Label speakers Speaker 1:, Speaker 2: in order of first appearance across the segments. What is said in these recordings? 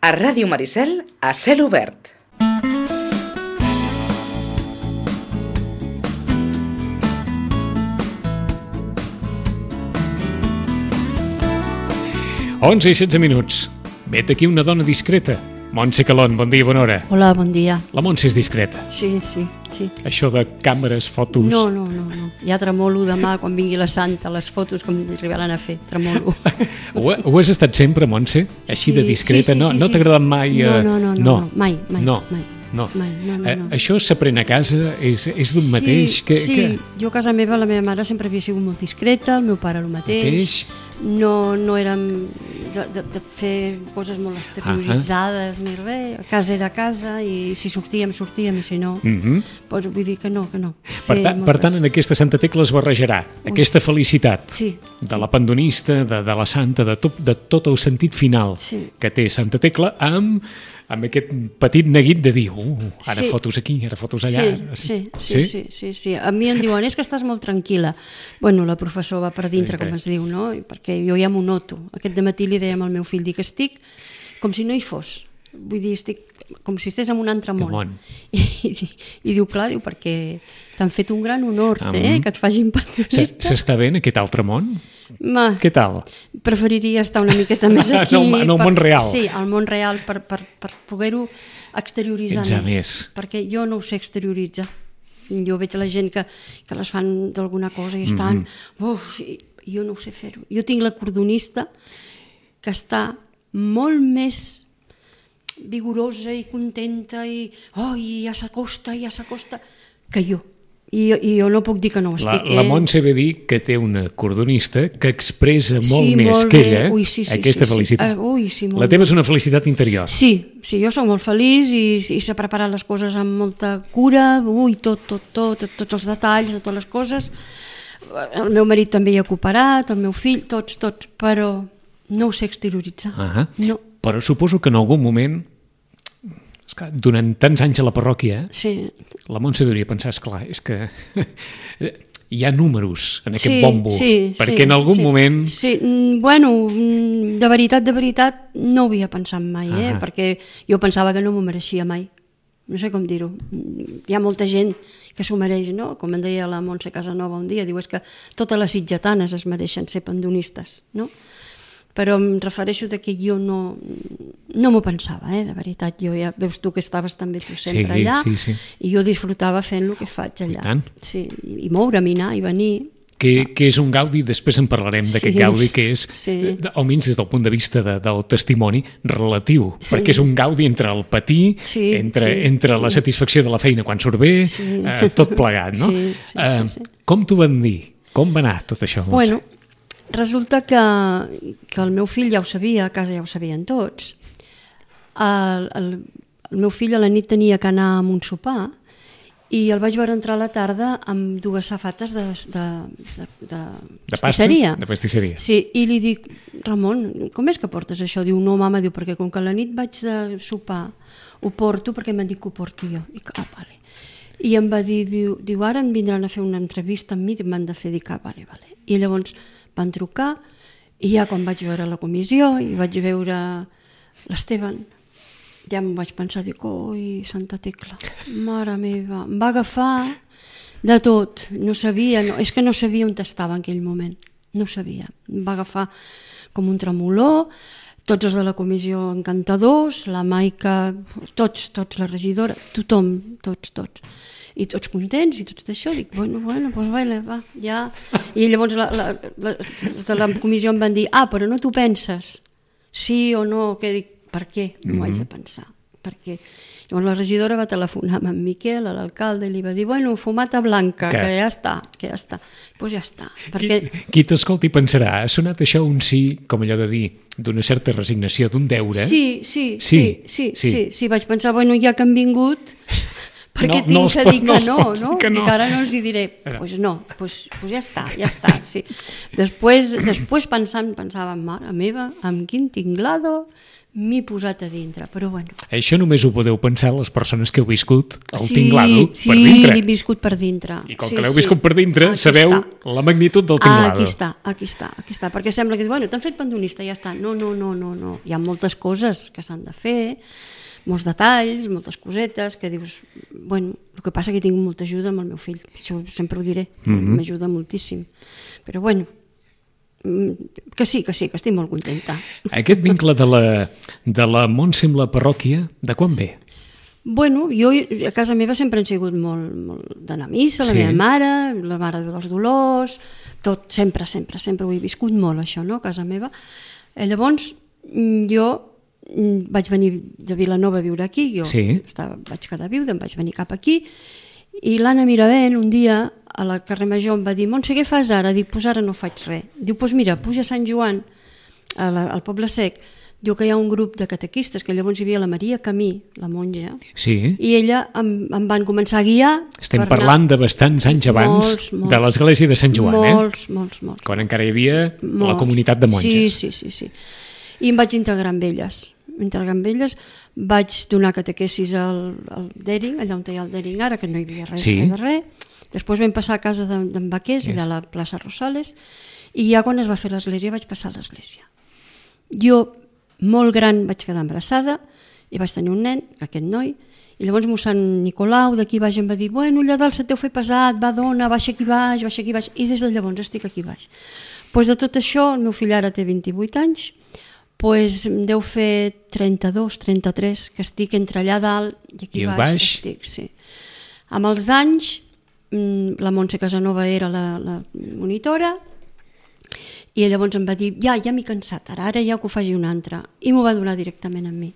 Speaker 1: A Ràdio Maricel, a cel obert.
Speaker 2: Onze i 16 minuts. Vet aquí una dona discreta. Montse Calón, bon dia, bona hora.
Speaker 3: Hola, bon dia.
Speaker 2: La Montse és discreta.
Speaker 3: Sí.
Speaker 2: Això de càmeres, fotos...
Speaker 3: No. Ja tremolo demà, quan vingui la Santa, les fotos com arribaran a fer, tremolo.
Speaker 2: Ho has estat sempre, Montse? Així de discreta?
Speaker 3: Sí.
Speaker 2: No t'ha agradat mai?
Speaker 3: No, mai.
Speaker 2: No. Això s'aprèn a casa? És d'un mateix?
Speaker 3: Sí, jo a casa meva la meva mare sempre havia sigut molt discreta, el meu pare el mateix. No érem de fer coses molt exterioritzades ni res. A casa era a casa i si sortíem i si no, doncs vull dir que no.
Speaker 2: Per tant, en aquesta Santa Tecla es barrejarà aquesta felicitat de la pandonista, de la Santa, de tot el sentit final que té Santa Tecla amb aquest petit neguit de dir ara fotos aquí, ara fotos allà.
Speaker 3: Sí. A mi em diuen, és que estàs molt tranquil·la. Bueno, la professora va per dintre, com es diu, no? Perquè jo ja m'ho noto. Aquest dematí li dèiem al meu fill, dic, estic com si no hi fos. Vull dir, estic com si estigués en un altre món. I diu, clar, perquè t'han fet un gran honor, que et facin pandonista.
Speaker 2: S'està bé en aquest altre món? Què tal?
Speaker 3: Preferiria estar una miqueta més aquí.
Speaker 2: En el món real.
Speaker 3: Sí, al món real, per poder-ho exterioritzar més. Perquè jo no ho sé exterioritzar. Jo veig la gent que les fan d'alguna cosa i estan... Jo no ho sé fer-ho. Jo tinc la cordonista que està molt més vigorosa i contenta i ja s'acosta que jo. I jo no puc dir que no ho estic.
Speaker 2: La Montse ve dir que té una cordonista que expressa molt més que ella aquesta felicitat. La teva és una felicitat interior.
Speaker 3: Sí, jo soc molt feliç i s'ha preparat les coses amb molta cura, tots els detalls de totes les coses. El meu marit també hi ha cooperat, el meu fill, tots, però no ho sé exterioritzar. No.
Speaker 2: Però suposo que en algun moment, durant tants anys a la parròquia, la Montse hauria pensar, esclar, és que hi ha números en aquest bombo, perquè en algun moment...
Speaker 3: Sí, bueno, de veritat, no ho havia pensat mai, perquè jo pensava que no m'ho mereixia mai. No sé com dir-ho. Hi ha molta gent que s'ho mereix, no? Com em deia la Montse Casanova un dia, diu, és que totes les sitgetanes es mereixen ser pandonistes, no? Però em refereixo que jo no m'ho pensava, de veritat. Ja veus tu que estaves també tu sempre allà, i jo disfrutava fent el que faig allà.
Speaker 2: I tant.
Speaker 3: Sí, i moure'm, i anar, i venir.
Speaker 2: Que és un gaudi, després en parlarem d'aquest gaudi, que és, almenys des del punt de vista del testimoni, relatiu, perquè és un gaudi entre el patir, entre la satisfacció de la feina quan surt bé, tot plegat, no? Com t'ho van dir? Com va anar tot això, Montse?
Speaker 3: Bueno, resulta que el meu fill ja ho sabia, a casa ja ho sabien tots. El meu fill a la nit tenia que anar a un sopar i el vaig veure entrar a la tarda amb dues safates de pastisseria.
Speaker 2: De pastisseria.
Speaker 3: Sí, i li dic, Ramon, com és que portes això? Diu, no, mama, perquè com que a la nit vaig de sopar ho porto perquè m'han dit que ho porti jo. Dic, vale. I em va dir, diu, ara em vindran a fer una entrevista amb mi i m'han de fer, dic, vale. I llavors van trucar i ja quan vaig veure la comissió i vaig veure l'Esteban, ja em vaig pensar, dic, Santa Tecla, mare meva, em va agafar de tot, no sabia on estava en aquell moment, no sabia, em va agafar com un tremolor, tots els de la comissió encantadors, la Maica, tots, la regidora, tothom, tots. I tots contents i tots d'això, dic, bueno, doncs va, ja. I llavors de la comissió em van dir, però no t'ho penses, sí o no, que dic, per què? No ho haig de pensar, perquè llavors la regidora va telefonar amb en Miquel, a l'alcalde, i li va dir, bueno, fumata blanca, que ja està. Doncs ja està.
Speaker 2: Qui t'escolti pensarà, ha sonat això un sí, com allò de dir, d'una certa resignació, d'un deure?
Speaker 3: Sí, vaig pensar, bueno, ja que han vingut... perquè tinc que dir que no? Dic, ara no els hi diré, doncs ja està, sí. Després pensava, mare meva, amb quin tinglado m'he posat a dintre, però bueno.
Speaker 2: Això només ho podeu pensar les persones que heu viscut el tinglado per dintre.
Speaker 3: Sí, l'he viscut per dintre.
Speaker 2: I com que l'heu viscut per dintre, sabeu la magnitud del tinglado.
Speaker 3: Aquí està, perquè sembla que, bueno, t'han fet pandonista, ja està. No. Hi ha moltes coses que s'han de fer, molts detalls, moltes cosetes, que dius, bueno, el que passa que tinc molta ajuda amb el meu fill, això sempre ho diré, m'ajuda moltíssim. Però bueno, que sí, que estic molt contenta.
Speaker 2: Aquest vincle de la Montse amb la parròquia, de quan ve?
Speaker 3: Bueno, jo a casa meva sempre han sigut molt d'anar a missa, la meva mare, la Mare dels Dolors, tot, sempre ho he viscut molt, això, no?, a casa meva. Llavors, jo vaig venir de Vilanova a viure aquí, vaig quedar viuda, em vaig venir cap aquí, i l'Anna Miravent un dia a la carrer Major em va dir: Montse, què fas ara? Dic, doncs ara no faig res. Diu, doncs mira, puja a Sant Joan, al Poble Sec, diu que hi ha un grup de catequistes, que llavors hi havia la Maria Camí, la monja, i ella em van començar a guiar.
Speaker 2: Estem parlant de bastants anys abans de l'església de Sant Joan,
Speaker 3: Molts.
Speaker 2: Quan encara hi havia la comunitat de monges.
Speaker 3: Sí. I em vaig integrar amb elles. Vaig donar catequesis al Dering, allà on hi ha el Dering ara, que no hi havia res de res. Després vam passar a casa d'en Baquers, allà a la plaça Rosales, i ja quan es va fer l'església vaig passar a l'església. Jo, molt gran, vaig quedar embarassada i vaig tenir un nen, aquest noi, i llavors mossèn Nicolau d'aquí baix em va dir: bueno, allà dalt se t'heu fet pesat, va dona, baixa aquí baix, i des de llavors estic aquí baix. Doncs de tot això, el meu fill ara té 28 anys, doncs em deu fer 32, 33, que estic entre allà dalt i aquí baix estic, sí. Amb els anys, la Montse Casanova era la monitora, i llavors em va dir: ja m'he cansat, ara ja que ho faci una altra, i m'ho va donar directament a mi.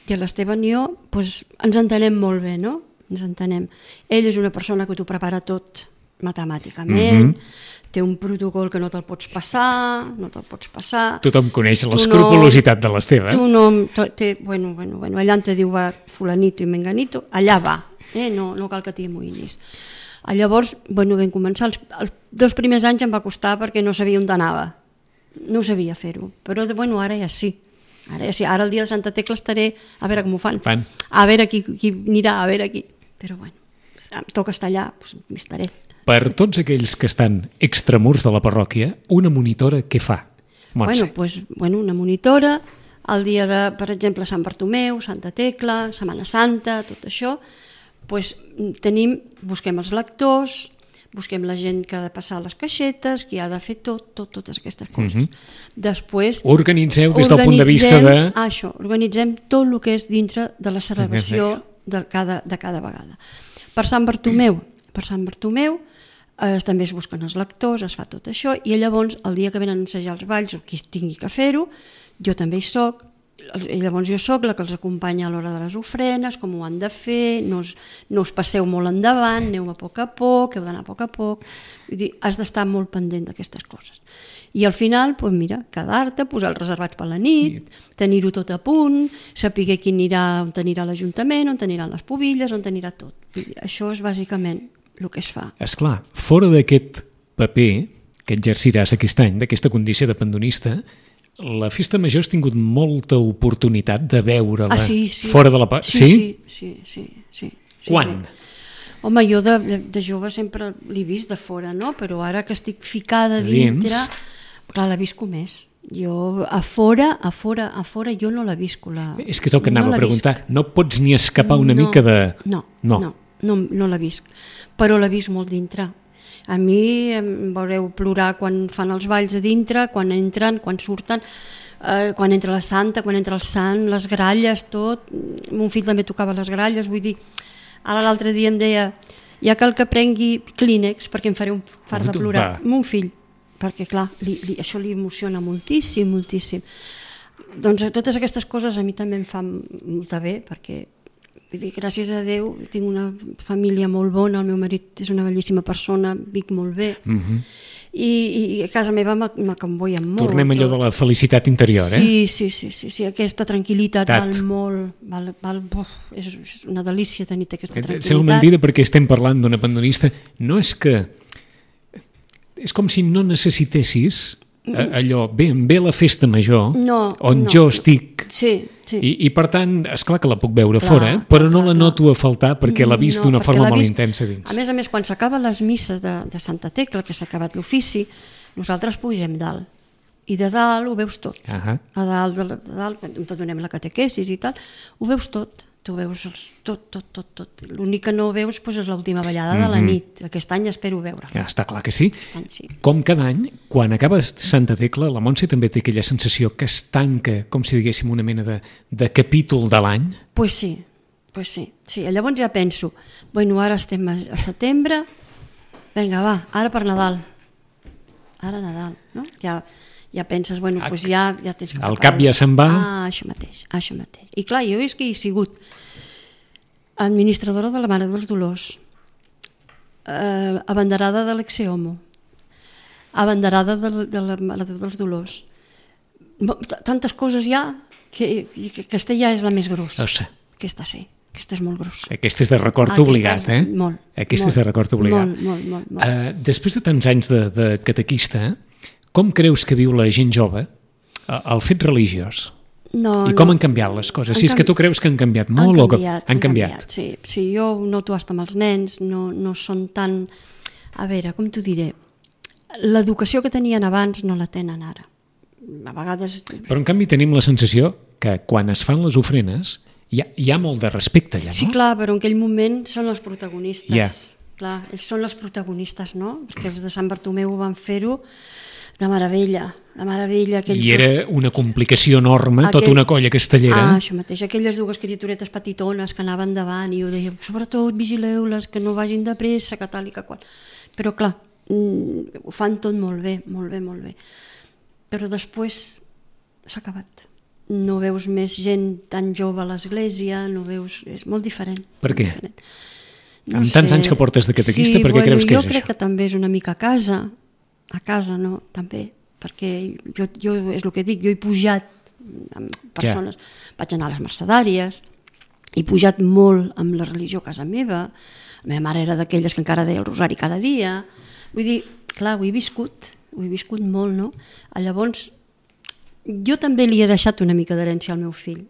Speaker 3: I l'Esteban i jo ens entenem molt bé, no? Ens entenem. Ell és una persona que t'ho prepara tot matemàticament, té un protocol que no te'l pots passar,
Speaker 2: Tothom coneix l'escrupolositat de l'Esteve.
Speaker 3: Bueno, allà on te diu va fulanito i menganito, allà va, no cal que t'hi amoïnis. Llavors, vam començar, els 2 primers anys em va costar perquè no sabia on anava, no sabia fer-ho, però ara ja sí. Ara el dia de Santa Tecla estaré a veure com ho fan. A veure qui anirà, a veure qui. Però bueno, em toca estar allà, doncs m'hi estaré.
Speaker 2: Per tots aquells que estan extramurs de la parròquia, una monitora què fa, Montse?
Speaker 3: Bueno, una monitora, el dia de, per exemple, Sant Bartomeu, Santa Tecla, Setmana Santa, tot això, busquem els lectors, busquem la gent que ha de passar les caixetes, qui ha de fer totes aquestes coses. Després...
Speaker 2: Organitzeu des del punt de vista de...
Speaker 3: Organitzem tot el que és dintre de la celebració de cada vegada. Per Sant Bartomeu també es busquen els lectors, es fa tot això, i llavors el dia que venen a ensejar els balls o qui tingui que fer-ho, jo també hi soc, i llavors jo soc la que els acompanya a l'hora de les ofrenes, com ho han de fer, no us passeu molt endavant, aneu a poc, heu d'anar a poc. Vull dir, has d'estar molt pendent d'aquestes coses. I al final, quedar-te, posar els reservats per la nit, tenir-ho tot a punt, saber qui anirà, on anirà l'Ajuntament, on aniran les pubilles, on anirà tot. Això és bàsicament el que es fa.
Speaker 2: Esclar, fora d'aquest paper que exerciràs aquest any, d'aquesta condició de pandonista, la Festa Major has tingut molta oportunitat de veure-la fora de la...
Speaker 3: Sí.
Speaker 2: Quan?
Speaker 3: Home, jo de jove sempre l'he vist de fora, no? Però ara que estic ficada dintre, clar, la visco més. Jo a fora jo no la visco.
Speaker 2: És que és el que anava a preguntar. No pots ni escapar una mica de...
Speaker 3: No la visc, però la visc molt dintre. A mi em veureu plorar quan fan els balls a dintre, quan entren, quan surten, quan entra la santa, quan entra el sant, les gralles, tot. Mon fill també tocava les gralles, vull dir, ara l'altre dia em deia: ja cal que prengui Kleenex perquè em faré un fart de plorar. Mon fill, perquè clar, això li emociona moltíssim. Doncs totes aquestes coses a mi també em fan molt bé, perquè gràcies a Déu tinc una família molt bona, el meu marit és una bellíssima persona, vic molt bé, i a casa meva m'acomboien molt.
Speaker 2: Tornem allò de la felicitat interior,
Speaker 3: Sí, aquesta tranquil·litat val molt, és una delícia tenir aquesta tranquil·litat.
Speaker 2: Sembla mentida perquè estem parlant d'una pandonista, no és que... És com si no necessitessis allò, ve la festa major, on jo estic, i per tant, esclar que la puc veure fora, però no la noto a faltar perquè l'ha vist d'una forma molt intensa dins.
Speaker 3: A més, quan s'acaben les misses de Santa Tecla, que s'ha acabat l'ofici, nosaltres pugem dalt. I de dalt ho veus tot. A dalt, quan te donem la catequesis i tal, ho veus tot. Tu veus tot. L'únic que no veus és l'última ballada de la nit. Aquest any espero veure.
Speaker 2: Està clar que sí. Com cada any, quan acaba Santa Tecla, la Montse també té aquella sensació que es tanca, com si diguéssim, una mena de capítol de l'any?
Speaker 3: Pues sí. Llavors ja penso, ara estem a setembre, vinga, va, ara per Nadal. Ara Nadal, no? Ja penses, ja tens que preparar.
Speaker 2: El cap ja se'n va.
Speaker 3: Això mateix. I clar, jo és que he sigut administradora de la Mare dels Dolors, abanderada de l'Exeomo, abanderada de la Mare dels Dolors. Tantes coses ja que aquesta ja és la més grossa. Aquesta sí. Aquesta és molt grossa.
Speaker 2: Aquesta és de record obligat, eh?
Speaker 3: Molt.
Speaker 2: Aquesta és de record obligat.
Speaker 3: Molt.
Speaker 2: Després de tants anys de catequista, com creus que viu la gent jove el fet religiós? I com han canviat les coses? Si és que tu creus que han canviat molt o que han canviat?
Speaker 3: Sí, jo ho noto fins amb els nens, no són tan... A veure, com t'ho diré? L'educació que tenien abans no la tenen ara. A vegades...
Speaker 2: Però en canvi tenim la sensació que quan es fan les ofrenes hi ha molt de respecte allà, no?
Speaker 3: Sí, clar, però en aquell moment són els protagonistes. Clar, ells són els protagonistes, no? Perquè els de Sant Bartomeu van fer-ho de meravella.
Speaker 2: I era una complicació enorme, tota una colla castellera.
Speaker 3: Això mateix, aquelles dues criaturetes petitones que anaven davant i ho deia, sobretot vigileu-les, que no vagin de pressa, que tal i que qual. Però clar, ho fan tot molt bé. Però després s'ha acabat. No veus més gent tan jove a l'església, és molt diferent.
Speaker 2: Per què? Amb tants anys que portes de catequista, per què creus que és això?
Speaker 3: Jo crec que també és una mica a casa no, també, perquè jo és el que dic, jo he pujat amb persones, vaig anar a les mercedàries, he pujat molt amb la religió a casa meva, la meva mare era d'aquelles que encara deia el rosari cada dia, vull dir, clar, ho he viscut molt, no? Llavors, jo també li he deixat una mica d'herència al meu fill.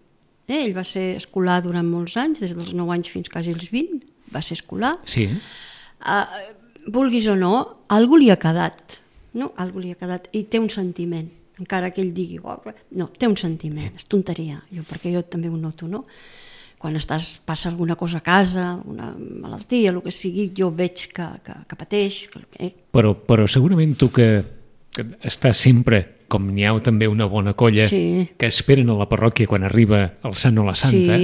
Speaker 3: Ell va ser escolar durant molts anys, des dels 9 anys fins quasi els 20, va ser escolar.
Speaker 2: Sí.
Speaker 3: Vulguis o no, algú li ha quedat. No? Algú li ha quedat i té un sentiment, encara que ell digui no, té un sentiment, és tonteria perquè jo també ho noto, no? Quan passa alguna cosa a casa, alguna malaltia, el que sigui, jo veig que pateix.
Speaker 2: Però segurament tu que estàs sempre, com n'hi ha també una bona colla que esperen a la parròquia quan arriba el sant o la santa,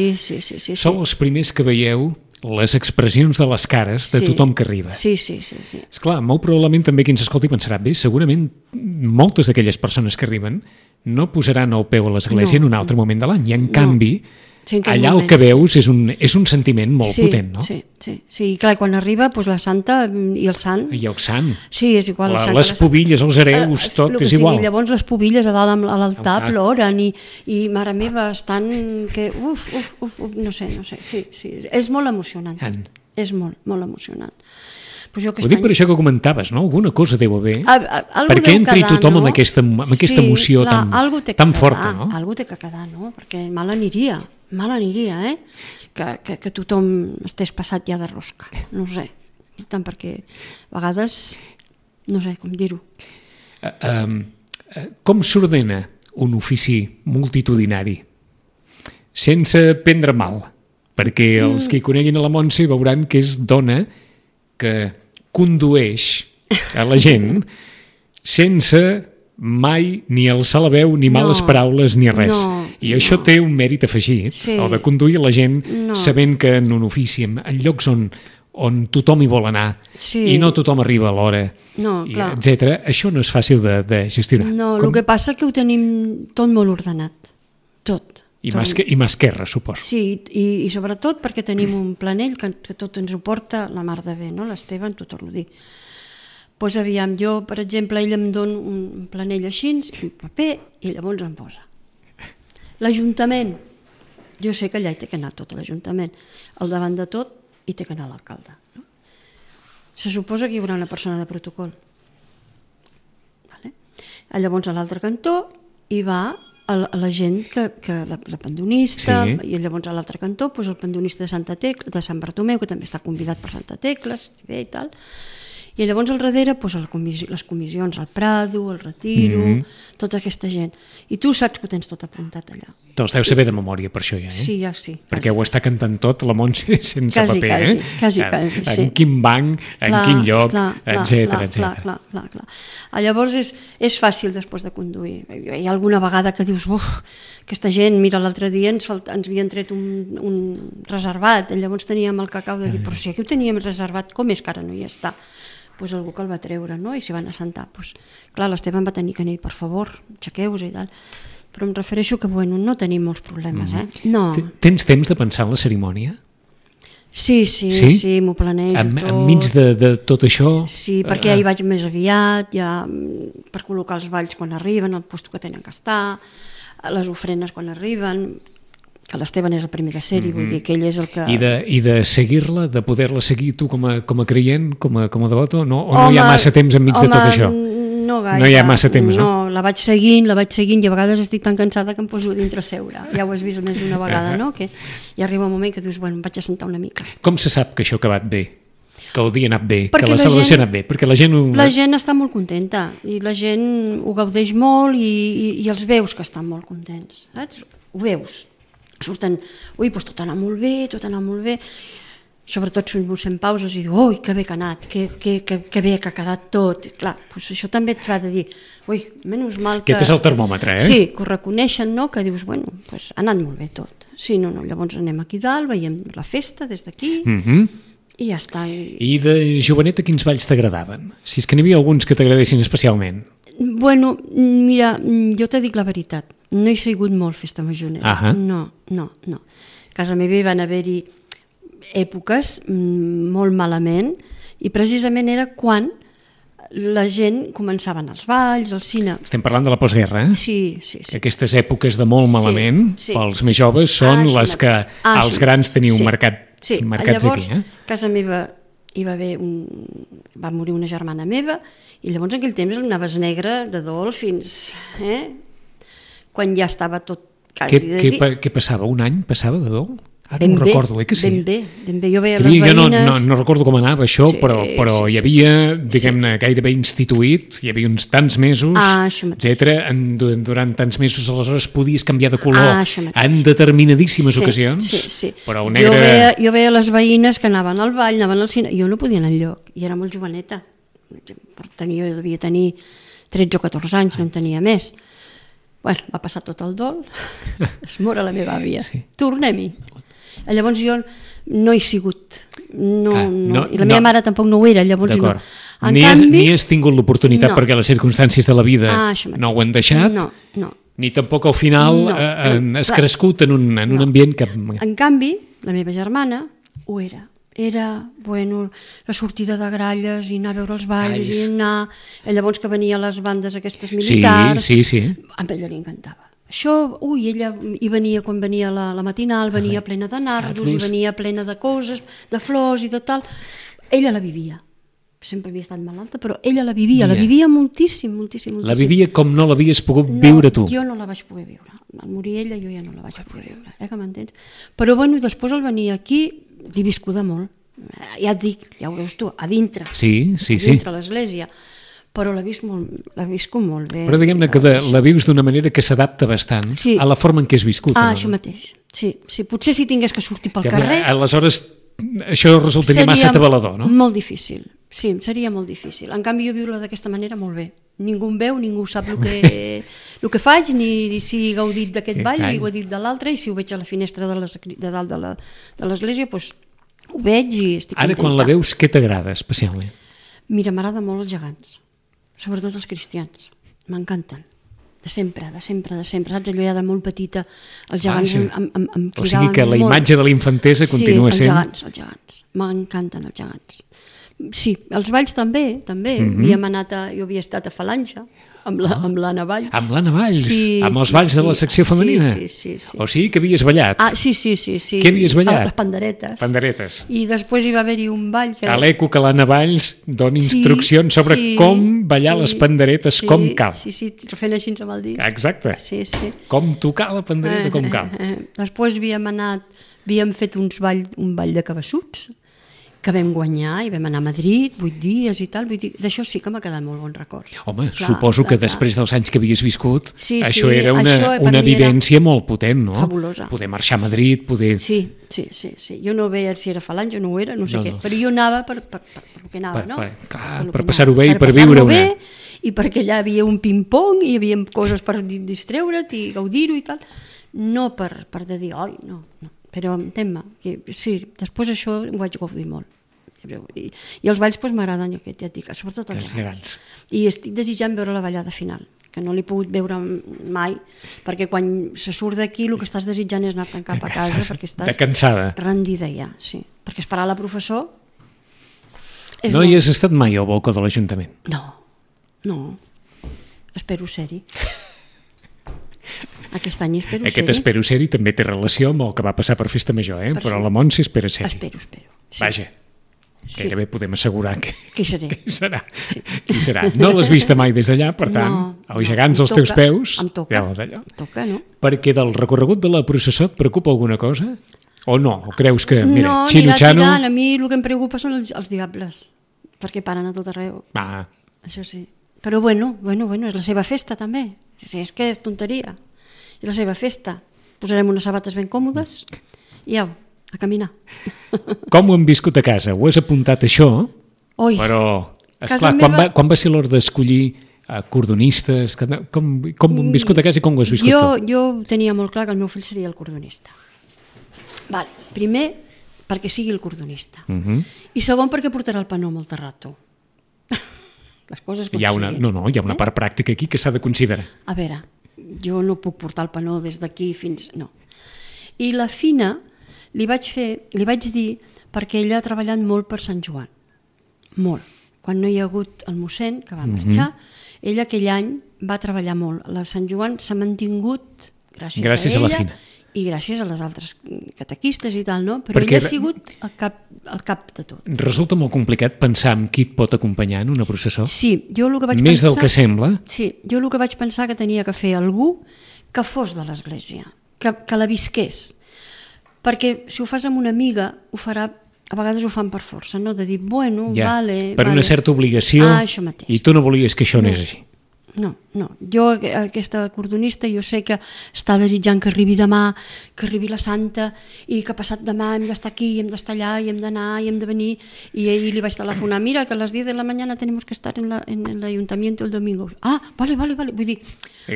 Speaker 2: sou els primers que veieu les expressions de les cares de tothom que arriba.
Speaker 3: Sí.
Speaker 2: Esclar, molt probablement també qui ens escolti pensarà, bé, segurament moltes d'aquelles persones que arriben no posaran el peu a l'església en un altre moment de l'any, i en canvi allà el que veus és un sentiment molt potent, no?
Speaker 3: Sí, clar, quan arriba la santa i el sant.
Speaker 2: I el sant.
Speaker 3: Sí, és igual.
Speaker 2: Les pobilles, els hereus, tot és igual.
Speaker 3: Llavors les pobilles a dalt a l'altar ploren i mare meva, estan que... no sé, sí, és molt emocionant. És molt emocionant.
Speaker 2: Ho dic per això que comentaves, no? Alguna cosa deu haver perquè entri tothom amb aquesta emoció tan forta, no?
Speaker 3: Algú té que quedar, no? Perquè mal aniria, que tothom estés passat ja de rosca, no ho sé, tant perquè a vegades, no sé com dir-ho.
Speaker 2: Com s'ordena un ofici multitudinari? Sense prendre mal, perquè els que hi coneguin a la Montse veuran que és dona que condueix a la gent sense mai ni alçar la veu, ni males paraules, ni res. I això té un mèrit afegit, el de conduir la gent sabent que en un ofici, en llocs on tothom hi vol anar i no tothom arriba a l'hora, etc. Això no és fàcil de gestionar.
Speaker 3: No, el que passa és que ho tenim tot molt ordenat, tot.
Speaker 2: I mà esquerra, suposo.
Speaker 3: Sí, i sobretot perquè tenim un planell que tot ens ho porta la mar de bé, no? L'Esteve, t'ho torno a dir. Doncs aviam, jo, per exemple, ell em dona un planell així, un paper, i llavors em posa. L'Ajuntament, jo sé que allà hi té que anar tot l'Ajuntament. Al davant de tot hi té que anar l'alcalde. Se suposa que hi haurà una persona de protocol. Llavors a l'altre cantó hi va la gent la pendonista, i llavors a l'altre cantó el pendonista de Sant Bartomeu, que també està convidat per Santa Tecla, i tal. I llavors al darrere les comissions, el Prado, el Retiro, tota aquesta gent. I tu saps que ho tens tot apuntat allà.
Speaker 2: Te'ls deus saber de memòria per això ja,
Speaker 3: Sí, ja sí.
Speaker 2: Perquè ho està cantant tot la Montse sense paper,
Speaker 3: Quasi,
Speaker 2: en quin banc, en quin lloc, etcètera.
Speaker 3: Clar. Llavors és fàcil després de conduir. Hi ha alguna vegada que dius, aquesta gent, mira, l'altre dia ens havien tret un reservat, llavors teníem el cacau de dir, però si aquí ho teníem reservat, com és que ara no hi està? Doncs algú que el va treure, no? I s'hi van assentar. Clar, l'Esteban va tenir que dir, per favor, aixequeu-vos i tal. Però em refereixo que, no tenim molts problemes, No.
Speaker 2: Tens temps de pensar en la cerimònia?
Speaker 3: Sí, m'ho planejo tot.
Speaker 2: Enmig de tot això?
Speaker 3: Sí, perquè ja hi vaig més aviat, ja per col·locar els balls quan arriben, el lloc que tenen que estar, les ofrenes quan arriben, que l'Esteban és el primer de ser-hi, vull dir que ell és el que...
Speaker 2: I de seguir-la, de poder-la seguir tu com a creient, com a devoto, o no hi ha massa temps enmig de tot això?
Speaker 3: No gaire.
Speaker 2: No hi ha massa temps, no?
Speaker 3: No, la vaig seguint i a vegades estic tan cansada que em poso dintre a seure. Ja ho has vist més d'una vegada, no? Que hi arriba un moment que dius, em vaig a sentar una mica.
Speaker 2: Com se sap que això ha acabat bé? Que el dia ha anat bé? Que la celebració ha anat bé? Perquè la gent...
Speaker 3: La gent està molt contenta i la gent ho gaudeix molt i els veus que estan molt contents, saps? Ho veus. Surten, tot ha anat molt bé, sobretot si ens fem pauses i diu, que bé que ha anat, que bé que ha quedat tot. Clar, això també et fa de dir, menys mal que...
Speaker 2: Aquest és el termòmetre,
Speaker 3: Sí, que ho reconeixen, no? Que dius, ha anat molt bé tot. Sí, llavors anem aquí dalt, veiem la festa des d'aquí i ja està.
Speaker 2: I de joveneta quins balls t'agradaven? Si és que n'hi havia alguns que t'agradessin especialment.
Speaker 3: Mira, jo te dic la veritat, no he sigut molt festa majorera. No. A casa meva hi van haver-hi èpoques molt malament i precisament era quan la gent començava a anar als balls, al cine.
Speaker 2: Estem parlant de la postguerra,
Speaker 3: Sí.
Speaker 2: Aquestes èpoques de molt malament, pels més joves, són les que els grans teniu marcats aquí.
Speaker 3: Llavors, a casa meva hi va morir una germana meva i llavors en aquell temps anaves negre de dol fins... quan ja estava tot quasi de dir...
Speaker 2: Què passava? Un any passava de dol? Ara no recordo, que sí?
Speaker 3: Ben bé. Jo veia les veïnes...
Speaker 2: Jo no recordo com anava això, però hi havia, diguem-ne, gairebé instituït, hi havia uns tants mesos, etcètera. Durant tants mesos, aleshores, podies canviar de color en determinadíssimes ocasions.
Speaker 3: Sí.
Speaker 2: Però un negre...
Speaker 3: Jo veia les veïnes que anaven al ball, anaven al cine, jo no podia anar enlloc, i era molt joveneta. Jo devia tenir 13 o 14 anys, no en tenia més. Va passar tot el dol, es mora la meva àvia, tornem-hi. Llavors jo no he sigut, i la meva mare tampoc no ho era, llavors no.
Speaker 2: Ni has tingut l'oportunitat perquè les circumstàncies de la vida no ho han deixat, ni tampoc al final has crescut en un ambient que...
Speaker 3: En canvi, la meva germana ho era. Era, la sortida de gralles i anar a veure els balls i anar... Llavors que venia les bandes aquestes militars...
Speaker 2: Sí.
Speaker 3: A ella li encantava. Això, ella hi venia quan venia la matinal, venia plena de nardos, i venia plena de coses, de flors i de tal. Ella la vivia. Sempre havia estat malalta, però ella la vivia moltíssim.
Speaker 2: La vivia com no l'havies pogut viure tu.
Speaker 3: Jo no la vaig poder viure. Al morir ella jo ja no la vaig poder viure, que m'entens? Però després al venir aquí l'he viscuda molt. Ja et dic, ja ho veus tu, a dintre.
Speaker 2: Sí.
Speaker 3: A dintre l'església. Però la visco molt bé.
Speaker 2: Però diguem-ne que la vius d'una manera que s'adapta bastant a la forma en què has viscut.
Speaker 3: Això mateix. Sí. Potser si tingués que sortir pel carrer...
Speaker 2: Aleshores, això resultaria massa atabalador, no?
Speaker 3: Molt difícil. Sí, seria molt difícil. En canvi, jo viure d'aquesta manera molt bé. Ningú em veu, ningú sap el que faig, ni si he gaudit d'aquest ball, ni ho he dit de l'altre, i si ho veig a la finestra de dalt de l'església, doncs ho veig i estic contenta.
Speaker 2: Ara, quan la veus, què t'agrada especialment?
Speaker 3: Mira, m'agrada molt els gegants, sobretot els cristians. M'encanten. De sempre. Saps? Allò ja de molt petita, els gegants em cridaven molt.
Speaker 2: O sigui que la imatge de la infantesa continua sent...
Speaker 3: Sí, els gegants. M'encanten els gegants. Sí, els balls també. Jo havia estat a Falange. amb l'Anna Valls.
Speaker 2: Amb l'Anna Valls? Amb els balls de la secció femenina?
Speaker 3: Sí.
Speaker 2: O sigui que havies ballat?
Speaker 3: Sí.
Speaker 2: Què havies ballat?
Speaker 3: Les panderetes.
Speaker 2: Panderetes.
Speaker 3: I després hi va haver-hi un ball que...
Speaker 2: A l'eco que l'Anna Valls doni instruccions sobre com ballar les panderetes com cal.
Speaker 3: Sí, fent així amb el dit.
Speaker 2: Exacte.
Speaker 3: Sí.
Speaker 2: Com tocar la pandereta com cal.
Speaker 3: Després havíem fet un ball de cabassuts, que vam guanyar i vam anar a Madrid 8 dies i tal, d'això sí que m'ha quedat molt bon record.
Speaker 2: Home, suposo que després dels anys que havies viscut, això era una vivència molt potent, no?
Speaker 3: Fabulosa.
Speaker 2: Poder marxar a Madrid, poder...
Speaker 3: Sí. Jo no veia si era falange o no ho era, no sé què, però jo anava per què anava, no?
Speaker 2: Per passar-ho bé i per viure-ho
Speaker 3: i perquè allà hi havia un ping-pong i hi havia coses per distreure't i gaudir-ho i tal, no per dir, oi, no. Però entenc-me, sí, després això ho vaig gaudir molt. I els balls m'agraden, ja et dic, sobretot els gegants. I estic desitjant veure la ballada final, que no l'he pogut veure mai, perquè quan se surt d'aquí el que estàs desitjant és anar-te'n cap a casa, perquè estàs rendida ja, sí. Perquè esperar la professor...
Speaker 2: No hi has estat mai al balcó de l'Ajuntament?
Speaker 3: No. Espero ser-hi. Aquest any espero ser-hi.
Speaker 2: Aquest espero ser-hi també té relació amb el que va passar per Festa Major, però la Montse espera ser-hi.
Speaker 3: Espero.
Speaker 2: Vaja, gairebé podem assegurar que...
Speaker 3: Qui seré?
Speaker 2: Qui serà? No l'has vista mai des d'allà, per tant, els gegants als teus peus...
Speaker 3: Em toca, no?
Speaker 2: Perquè del recorregut de la processó et preocupa alguna cosa? O no? O creus que, mira, Xino-Xano...
Speaker 3: No, a mi el que em preocupa són els diables, perquè paren a tot arreu. Això sí. Però bueno, és la seva festa també. És que és tonteria. És la seva festa. Posarem unes sabates ben còmodes i au, a caminar.
Speaker 2: Com ho hem viscut a casa? Ho has apuntat això, però, esclar, quan va ser l'hora d'escollir cordonistes? Com ho hem viscut a casa i com ho has viscut tu?
Speaker 3: Jo tenia molt clar que el meu fill seria el cordonista. Primer, perquè sigui el cordonista. I segon, perquè portarà el panó molt rato. Les coses com siguin.
Speaker 2: Hi ha una part pràctica aquí que s'ha de considerar.
Speaker 3: A veure, jo no puc portar el panó des d'aquí fins... No. I la Fina li vaig dir, perquè ella ha treballat molt per Sant Joan. Molt. Quan no hi ha hagut el mossèn, que va marxar, ella aquell any va treballar molt. La Sant Joan s'ha mantingut gràcies a ella. A la Fina. I gràcies a les altres catequistes i tal, no? Però ella ha sigut el cap de tot.
Speaker 2: Resulta molt complicat pensar en qui et pot acompanyar en una processó?
Speaker 3: Sí, jo el que vaig pensar...
Speaker 2: Més del que sembla?
Speaker 3: Sí, jo el que vaig pensar que tenia que fer algú que fos de l'església, que la visqués. Perquè si ho fas amb una amiga, ho farà... A vegades ho fan per força, no? De dir, bueno, vale...
Speaker 2: Per una certa obligació,
Speaker 3: això mateix.
Speaker 2: I tu no volies que això anés així.
Speaker 3: No. Jo, aquesta cordonista, jo sé que està desitjant que arribi demà, que arribi la Santa, i que passat demà hem d'estar aquí, hem d'estar allà, i hem d'anar, i hem de venir, i ahir li vaig telefonar, mira, que a las 10 de la mañana tenemos que estar en el ayuntamiento el domingo. Vale, vull dir,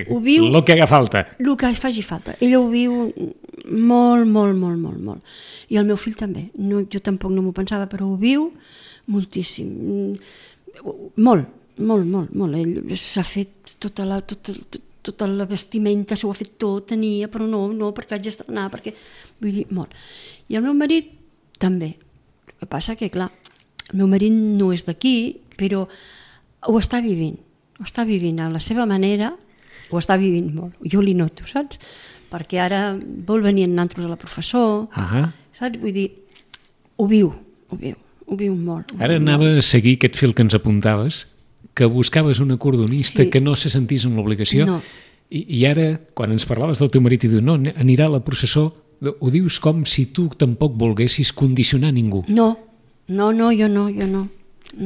Speaker 3: ho viu...
Speaker 2: Lo que haga falta.
Speaker 3: El que faci falta. Ella ho viu molt. I el meu fill també. Jo tampoc no m'ho pensava, però ho viu moltíssim. Molt. Ell s'ha fet tota la vestimenta, s'ho ha fet tot, tenia, però no, perquè haig d'estrenar, perquè... Vull dir, molt. I el meu marit també. El que passa que, clar, el meu marit no és d'aquí, però ho està vivint a la seva manera, ho està vivint molt. Jo li noto, saps? Perquè ara vol venir amb nosaltres a la professor, saps? Vull dir, ho viu molt.
Speaker 2: Ara anava a seguir aquest fil que ens apuntaves, que buscaves una cordonista que no se sentís en l'obligació, i ara, quan ens parlaves del teu marit i dius, no, anirà a la processó, ho dius com si tu tampoc volguessis condicionar ningú.
Speaker 3: No, jo no.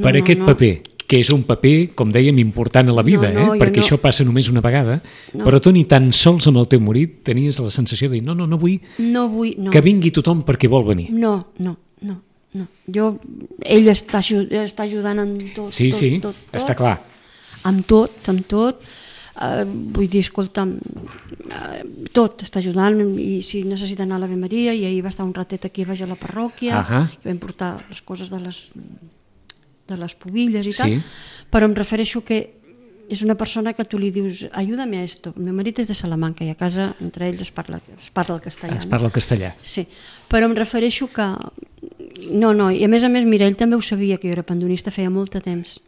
Speaker 2: Per aquest paper, que és un paper, com dèiem, important a la vida, perquè això passa només una vegada, però tu ni tan sols amb el teu marit tenies la sensació de dir, no vull que vingui tothom perquè vol venir.
Speaker 3: No. Ell està ajudant en tot.
Speaker 2: Sí, està clar.
Speaker 3: Amb tot. Vull dir, escolta'm, tot està ajudant, i si necessita anar a l'Ave Maria, i ahir va estar un ratet aquí baix a la parròquia, que vam portar les coses de les pubilles i tal, però em refereixo que és una persona que tu li dius, ayúdame a esto. El meu marit és de Salamanca i a casa entre ells es parla el castellà.
Speaker 2: Es parla el castellà.
Speaker 3: Sí, però em refereixo que... No, i a més, mira, ell també ho sabia, que jo era pandonista feia molt de temps.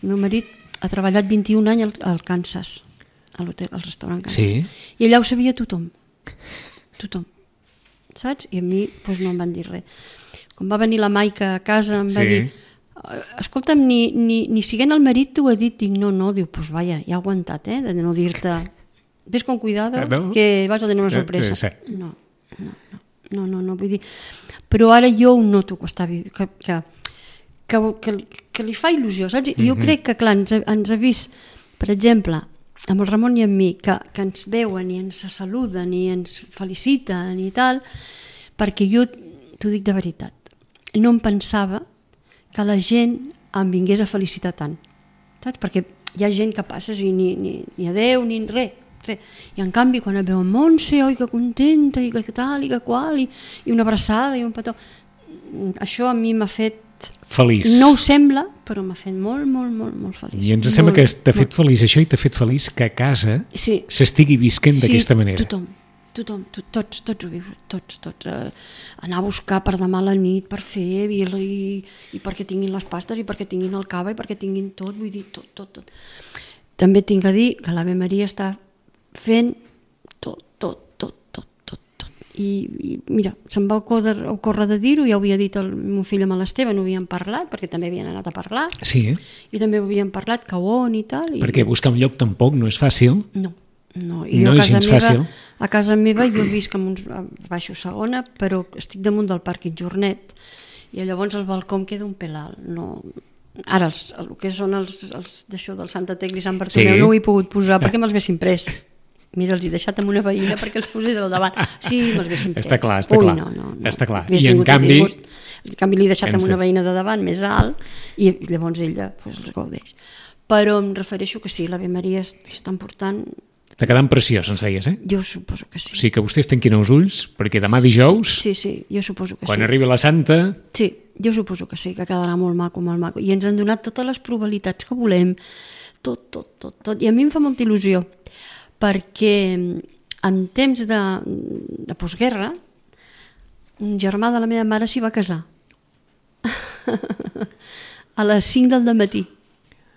Speaker 3: El meu marit ha treballat 21 anys al Kansas, al restaurant Kansas.
Speaker 2: Sí.
Speaker 3: I allà ho sabia tothom. Tothom. Saps? I a mi no em van dir res. Quan va venir la Maica a casa em va dir, escolta'm, ni siguent el marit t'ho ha dit. Dic, no, diu, vaja, ja ha aguantat, de no dir-te, ves con cuidado, que vas a tenir una sorpresa. No, vull dir, però ara jo ho noto que li fa il·lusió, saps? I jo crec que, clar, ens ha vist, per exemple, amb el Ramon i amb mi, que ens veuen i ens saluden i ens feliciten i tal, perquè jo t'ho dic de veritat, no em pensava que la gent em vingués a felicitar tant, saps? Perquè hi ha gent que passes i ni adeu ni res. I en canvi quan et veuen Montse, oi que contenta i que tal i que qual, i una abraçada i un petó, això a mi m'ha fet
Speaker 2: feliç.
Speaker 3: No ho sembla, però m'ha fet molt, molt, molt, molt feliç.
Speaker 2: I ens sembla que t'ha fet feliç això i t'ha fet feliç que a casa s'estigui visquent d'aquesta manera.
Speaker 3: Tothom, tots ho viu, tots. Anar a buscar per demà a la nit, per fer, i perquè tinguin les pastes, i perquè tinguin el cava, i perquè tinguin tot, vull dir, tot. També tinc a dir que l'Ave Maria està fent tot. I mira, se'm va ocórrer de dir-ho, ja ho havia dit el meu fill amb l'Esteve, no havíem parlat, perquè també havien anat a parlar.
Speaker 2: Sí.
Speaker 3: I també havíem parlat que on i tal.
Speaker 2: Perquè buscar un lloc tampoc no és fàcil.
Speaker 3: No,
Speaker 2: no és gens fàcil.
Speaker 3: A casa meva jo visc en uns baixos segona, però estic damunt del Parc Jornet, i llavors el balcó em queda un pèl alt. Ara, el que són els d'això del Santa Tecla i Sant Bartomeu no ho he pogut posar perquè me'ls haguessin pres. Mira, els he deixat amb una veïna perquè els posés al davant. Sí, me'ls haguessin pres.
Speaker 2: Està clar.
Speaker 3: No.
Speaker 2: Està clar. I en canvi
Speaker 3: l'he deixat amb una veïna de davant més alt i llavors ella els gaudeix. Però em refereixo que sí, l'Ave Maria és tan important.
Speaker 2: Està quedant preciós, ens deies,
Speaker 3: Jo suposo que sí.
Speaker 2: O sigui que vostès tanquin els ulls, perquè demà dijous...
Speaker 3: Sí, jo suposo que sí.
Speaker 2: Quan arribi la Santa...
Speaker 3: Sí, jo suposo que sí, que quedarà molt maco. I ens han donat totes les probabilitats que volem, tot. I a mi em fa molta il·lusió, perquè en temps de postguerra, un germà de la meva mare s'hi va casar. A les 5 del matí.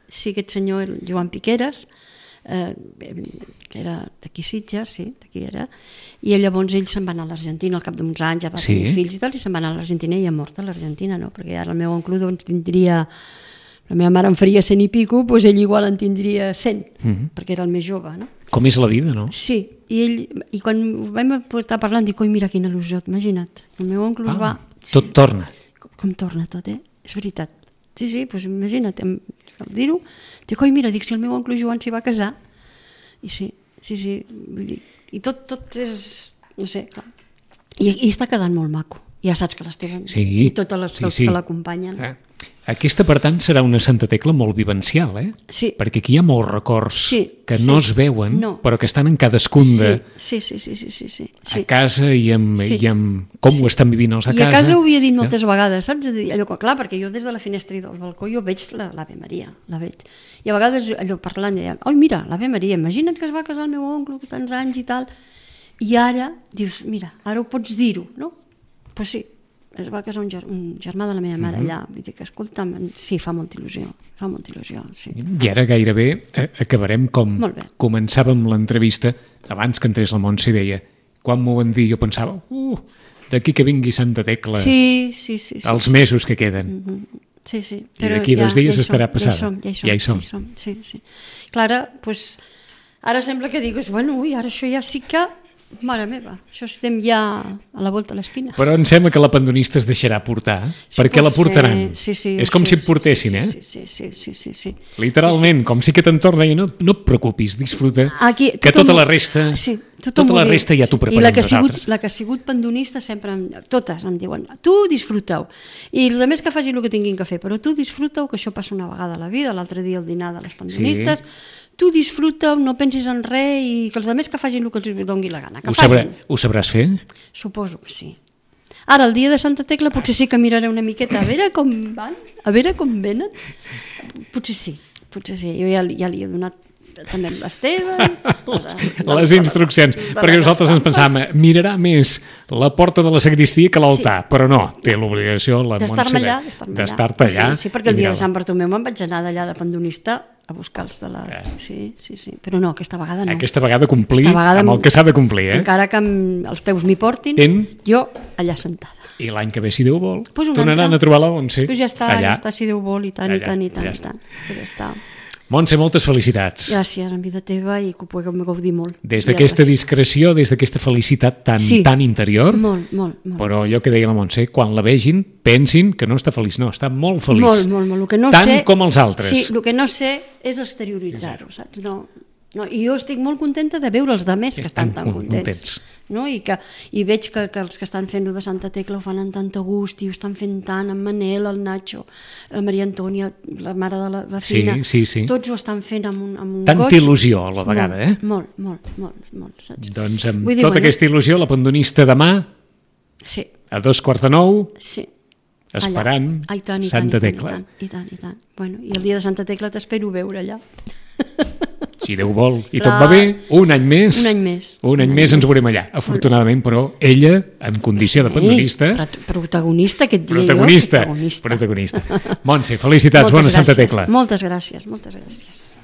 Speaker 3: Sí, aquest senyor, el Joan Piqueras, que era d'aquí Sitges, sí, d'aquí era, i llavors ell se'n va anar a l'Argentina al cap d'uns anys, ja va tenir fills i tal, i se'n va anar a l'Argentina i ha mort a l'Argentina, no? Perquè ara el meu oncle doncs tindria, la meva mare en faria 100 i pico, doncs ell igual en tindria 100, perquè era el més jove, no?
Speaker 2: Com és la vida, no?
Speaker 3: Sí, i quan vam estar parlant dic, oi, mira quina il·lusió, imagina't, el meu oncle es va...
Speaker 2: Tot torna.
Speaker 3: Com torna tot, és veritat. Sí, doncs imagina't, al dir-ho, dic, oi, mira, si el meu oncle Joan s'hi va casar, i sí, vull dir, i tot és, no sé, clar, i està quedant molt maco, ja saps que l'Esteve i totes les que l'acompanyen.
Speaker 2: Aquesta, per tant, serà una Santa Tecla molt vivencial,
Speaker 3: Sí.
Speaker 2: Perquè aquí hi ha molts records que no es veuen, però que estan en cadascun de...
Speaker 3: Sí.
Speaker 2: A casa i amb com ho estan vivint els de casa.
Speaker 3: I a casa ho havia dit moltes vegades, saps? Allò que, clar, perquè jo des de la finestra i del balcó jo veig l'Ave Maria, la veig. I a vegades allò parlant, deia, oi, mira, l'Ave Maria, imagina't que es va casar el meu oncle, que tants anys i tal. I ara, dius, mira, ara ho pots dir-ho, no? Pues sí. Es va casar un germà de la meva mare allà. Vull dir que, escolta'm, sí, fa molta il·lusió, sí.
Speaker 2: I ara gairebé acabarem com començàvem l'entrevista, abans que entrés la Montse i deia, quan m'ho van dir jo pensava, d'aquí que vingui Santa Tecla, els mesos que queden.
Speaker 3: Sí.
Speaker 2: I d'aquí 2 dies estarà passada.
Speaker 3: Ja hi som. Sí. Clar, ara sembla que digues, bueno, ara això ja sí que... Mare meva, això estem ja a la volta a l'esquina.
Speaker 2: Però em sembla que la pandonista es deixarà portar, perquè la portaran.
Speaker 3: Sí,
Speaker 2: és com si et portessin,
Speaker 3: Sí.
Speaker 2: Literalment, com si que te'n torna i no et preocupis, disfruta, que tota la resta ja t'ho preparem nosaltres.
Speaker 3: I la que ha sigut pandonista sempre, totes em diuen, tu disfruta-ho. I els altres que facin el que tinguin que fer, però tu disfruta-ho, que això passa una vegada a la vida, l'altre dia el dinar de les pandonistes, tu disfruta, no pensis en res i que els altres que facin el que els doni la gana.
Speaker 2: Ho sabràs fer?
Speaker 3: Suposo que sí. Ara, el dia de Santa Tecla potser sí que miraré una miqueta a veure com van, a veure com venen. Potser sí. Jo ja li he donat també amb l'Esteban...
Speaker 2: Les instruccions, perquè nosaltres ens pensàvem, mirarà més la porta de la sagristia que l'altar, però no, té l'obligació la Montse d'estar-te allà.
Speaker 3: Sí, perquè el dia de Sant Bartomeu me'n vaig anar d'allà de pandonista a buscar els de la... Sí, però no, aquesta vegada no.
Speaker 2: Aquesta vegada complir amb el que s'ha de complir,
Speaker 3: Encara que els peus m'hi portin, jo allà sentada.
Speaker 2: I l'any que ve, si Déu vol, tornaran a trobar la Montse.
Speaker 3: Pues ja està, si Déu vol, i tant. Ja està.
Speaker 2: Montse, moltes felicitats.
Speaker 3: Gràcies, en vida teva, i que ho puguem gaudir molt.
Speaker 2: Des d'aquesta discreció, des d'aquesta felicitat tan interior.
Speaker 3: Molt.
Speaker 2: Però allò que deia la Montse, quan la vegin, pensin que no està feliç, no, està molt feliç.
Speaker 3: Molt.
Speaker 2: Tant com els altres.
Speaker 3: Sí, el que no sé és exterioritzar-ho, saps? No, i jo estic molt contenta de veure els altres que estan tan contents. No? I veig que els que estan fent-ho de Santa Tecla ho fan amb tant gust i ho estan fent tant, en Manel, el Nacho, la Maria Antònia, la mare de la Fina, tots ho estan fent amb un goig.
Speaker 2: Tanta il·lusió a la vegada,
Speaker 3: Molt, saps?
Speaker 2: Doncs amb tota aquesta il·lusió, la pandonista demà, a 8:45, esperant Santa Tecla.
Speaker 3: I tant. Bueno, i el dia de Santa Tecla t'espero veure allà.
Speaker 2: Si Déu vol, i tot va bé, un any més ens veurem allà, afortunadament, però ella, en condició de pandonista...
Speaker 3: Protagonista, aquest dia.
Speaker 2: Protagonista. Montse, felicitats, bona Santa Tecla.
Speaker 3: Moltes gràcies.